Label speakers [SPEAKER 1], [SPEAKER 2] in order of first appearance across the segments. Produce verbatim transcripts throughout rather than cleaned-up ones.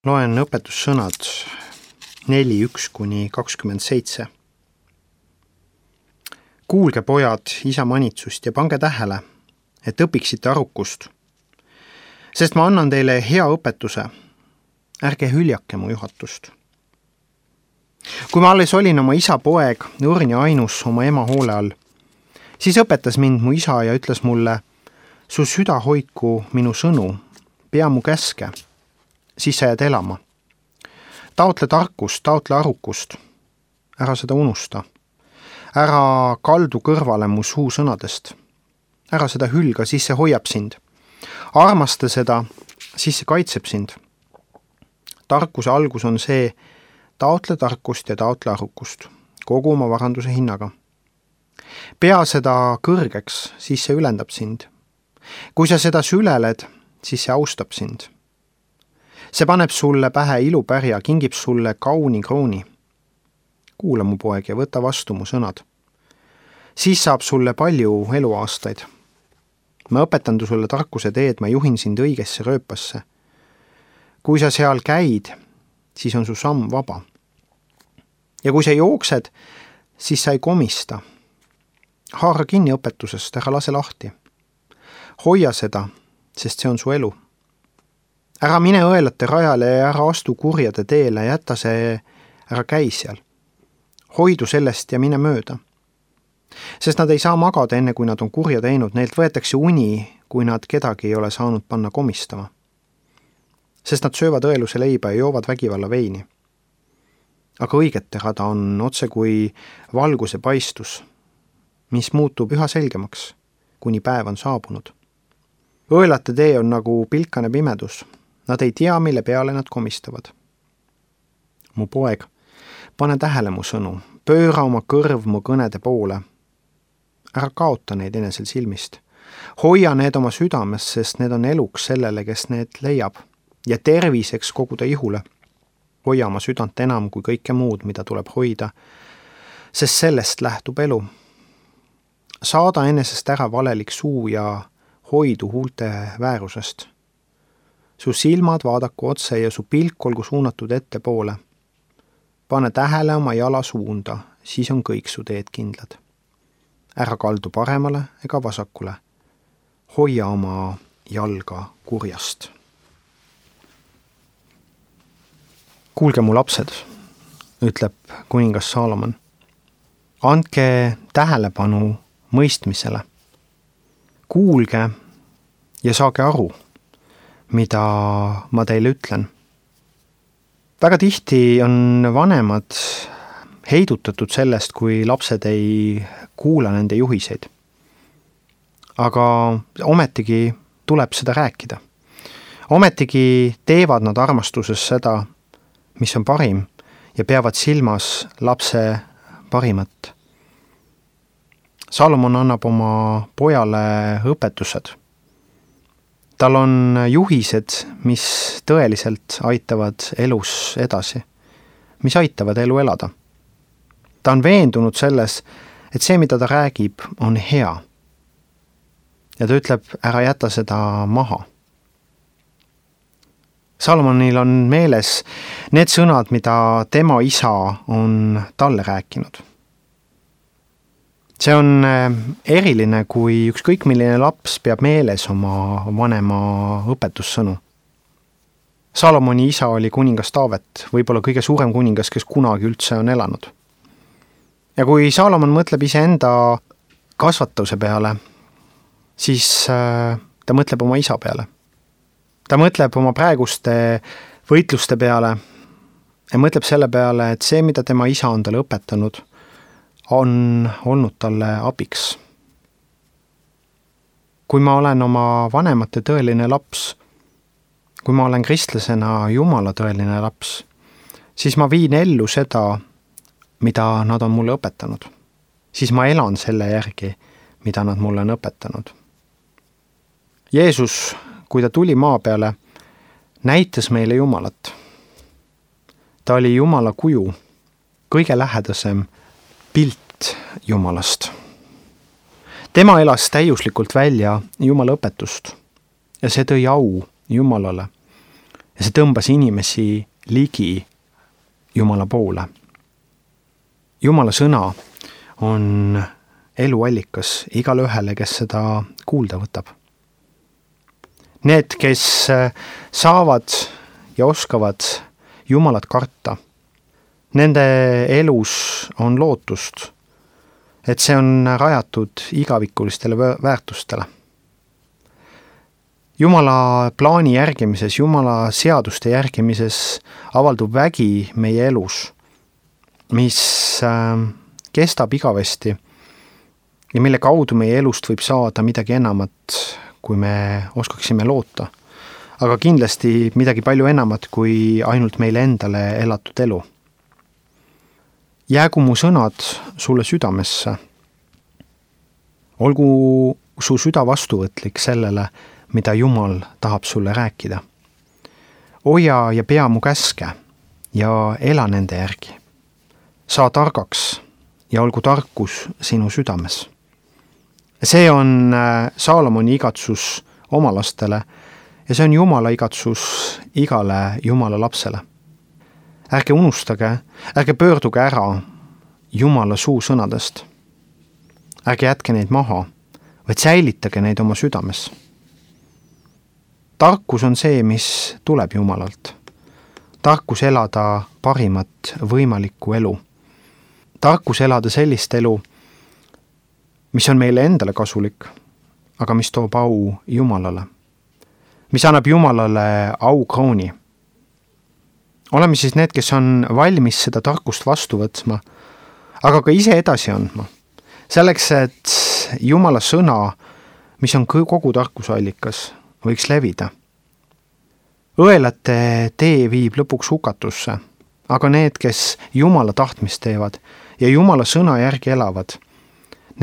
[SPEAKER 1] Loen õpetussõnad neli üks kuni kakskümmend seitse. Kuulge, pojad, isa manitsust ja pange tähele, et õpiksite arukust. Sest ma annan teile hea õpetuse. Ärge hüljake mu juhatust. Kui ma alles olin oma isa poeg, õrn ja ainus oma ema hoole all, siis õpetas mind mu isa ja ütles mulle, su süda hoidku minu sõnu, pea mu käske, siis sa jääd elama. Taotle tarkust, taotle arukust. Ära seda unusta. Ära kaldu kõrvale mu suu sõnadest. Ära seda hülga, siis see hoiab sind. Armasta seda, siis see kaitseb sind. Tarkuse algus on see, taotle tarkust ja taotle arukust, kogu oma varanduse hinnaga. Pea seda kõrgeks, siis see ülendab sind. Kui sa seda süleled, siis see austab sind. See paneb sulle pähe ilupärja, kingib sulle kauni krooni. Kuula mu poeg ja võta vastu mu sõnad. Siis saab sulle palju eluaastaid. Ma õpetan tu sulle tarkuse teed, ma juhin sind õigesse rööpasse. Kui sa seal käid, siis on su samm vaba. Ja kui sa jooksed, siis sa ei komista. Haara kinni õpetusest, ära lase lahti. Hoia seda, sest see on su elu. Ära mine õelate rajale ja ära astu kurjade teele, jäta see, ära käi seal. Hoidu sellest ja mine mööda. Sest nad ei saa magada enne, kui nad on kurja teinud, neilt võetakse uni, kui nad kedagi ei ole saanud panna komistama. Sest nad söövad õeluse leiba ja joovad vägivalla veini. Aga õigete rada on otse kui valguse paistus, mis muutub üha selgemaks, kuni päev on saabunud. Õelate tee on nagu pilkane pimedus. Nad ei tea, mille peale nad komistavad. Mu poeg, pane tähele mu sõnu, pööra oma kõrv mu kõnede poole. Ära kaota neid enesel silmist. Hoia need oma südames, sest need on eluks sellele, kes need leiab, ja terviseks koguda ihule. Hoia oma südant enam kui kõike muud, mida tuleb hoida, sest sellest lähtub elu. Saada enesest ära valelik suu ja hoidu huulte väärusest. Su silmad vaadaku otse ja su pilk olgu suunatud ette poole. Pane tähele oma jala suunda, siis on kõik su teed kindlad. Ära kaldu paremale ega vasakule. Hoia oma jalga kurjast. Kuulge mu lapsed, ütleb kuningas Saalomon. Andke tähelepanu mõistmisele. Kuulge ja saage aru, mida ma teile ütlen. Väga tihti on vanemad heidutatud sellest, kui lapsed ei kuula nende juhiseid. Aga ometigi tuleb seda rääkida. Ometigi teevad nad armastuses seda, mis on parim, ja peavad silmas lapse parimat. Salomon annab oma pojale õpetused. Tal on juhised, mis tõeliselt aitavad elus edasi, mis aitavad elu elada. Ta on veendunud selles, et see, mida ta räägib, on hea. Ja ta ütleb, ära jäta seda maha. Salomonil on meeles need sõnad, mida tema isa on talle rääkinud. See on eriline, kui ükskõik milline laps peab meeles oma vanema õpetussõnu. Salomoni isa oli kuningas Taavet, võib-olla kõige suurem kuningas, kes kunagi üldse on elanud. Ja kui Salomon mõtleb iseenda kasvatuse peale, siis ta mõtleb oma isa peale. Ta mõtleb oma praeguste võitluste peale ja mõtleb selle peale, et see, mida tema isa on talle õpetanud, on olnud talle abiks. Kui ma olen oma vanemate tõeline laps, kui ma olen kristlasena Jumala tõeline laps, siis ma viin ellu seda, mida nad on mulle õpetanud. Siis ma elan selle järgi, mida nad mulle on õpetanud. Jeesus, kui ta tuli maa peale, näitas meile Jumalat. Ta oli Jumala kuju, kõige lähedasem pilt Jumalast. Tema elas täiuslikult välja Jumala õpetust ja see tõi au Jumalale ja see tõmbas inimesi ligi Jumala poole. Jumala sõna on eluallikas igale ühele, kes seda kuulda võtab. Need, kes saavad ja oskavad Jumalat karta, nende elus on lootust, et see on rajatud igavikulistele väärtustele. Jumala plaani järgimises, Jumala seaduste järgimises avaldub vägi meie elus, mis kestab igavesti ja mille kaudu meie elust võib saada midagi enamat, kui me oskaksime loota, aga kindlasti midagi palju enamat kui ainult meile endale elatud elu. Jäägu mu sõnad sulle südamesse. Olgu su süda vastuvõtlik sellele, mida Jumal tahab sulle rääkida. Hoia ja pea mu käske ja ela nende järgi. Saa targaks ja olgu tarkus sinu südames. See on Saalomoni igatsus oma lastele ja see on Jumala igatsus igale Jumala lapsele. Ärge unustage, ärge pöörduge ära Jumala suu sõnadest. Ärge jätke neid maha, vaid säilitage neid oma südames. Tarkus on see, mis tuleb Jumalalt. Tarkus elada parimat võimalikku elu. Tarkus elada sellist elu, mis on meile endale kasulik, aga mis toob au Jumalale. Mis annab Jumalale au krooni. Oleme siis need, kes on valmis seda tarkust vastu võtma, aga ka ise edasi andma. Selleks, et Jumala sõna, mis on kogu tarkusallikas, võiks levida. Õelate tee viib lõpuks hukatusse, aga need, kes Jumala tahtmist teevad ja Jumala sõna järgi elavad,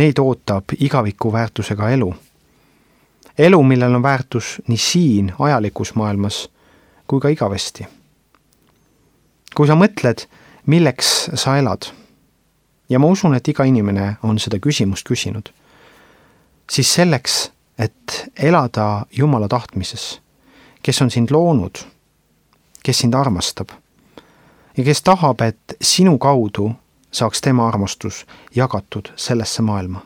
[SPEAKER 1] neid ootab igaviku väärtusega elu. Elu, millel on väärtus nii siin ajalikus maailmas kui ka igavesti. Kui sa mõtled, milleks sa elad, ja ma usun, et iga inimene on seda küsimust küsinud, siis selleks, et elada Jumala tahtmises, kes on sind loonud, kes sind armastab ja kes tahab, et sinu kaudu saaks tema armastus jagatud sellesse maailma.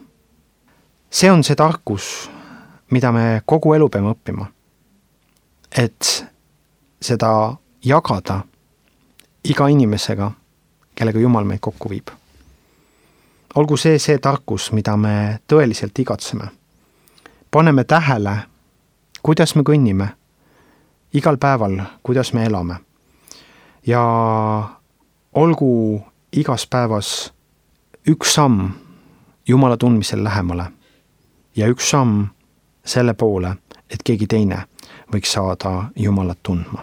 [SPEAKER 1] See on see tarkus, mida me kogu elu peame õppima, et seda jagada iga inimesega, kellega Jumal meid kokku viib. Olgu see see tarkus, mida me tõeliselt igatseme. Paneme tähele, kuidas me kõnnime, igal päeval, kuidas me elame. Ja olgu igas päevas üks samm Jumala tundmisel lähemale ja üks samm selle poole, et keegi teine võiks saada Jumalat tundma.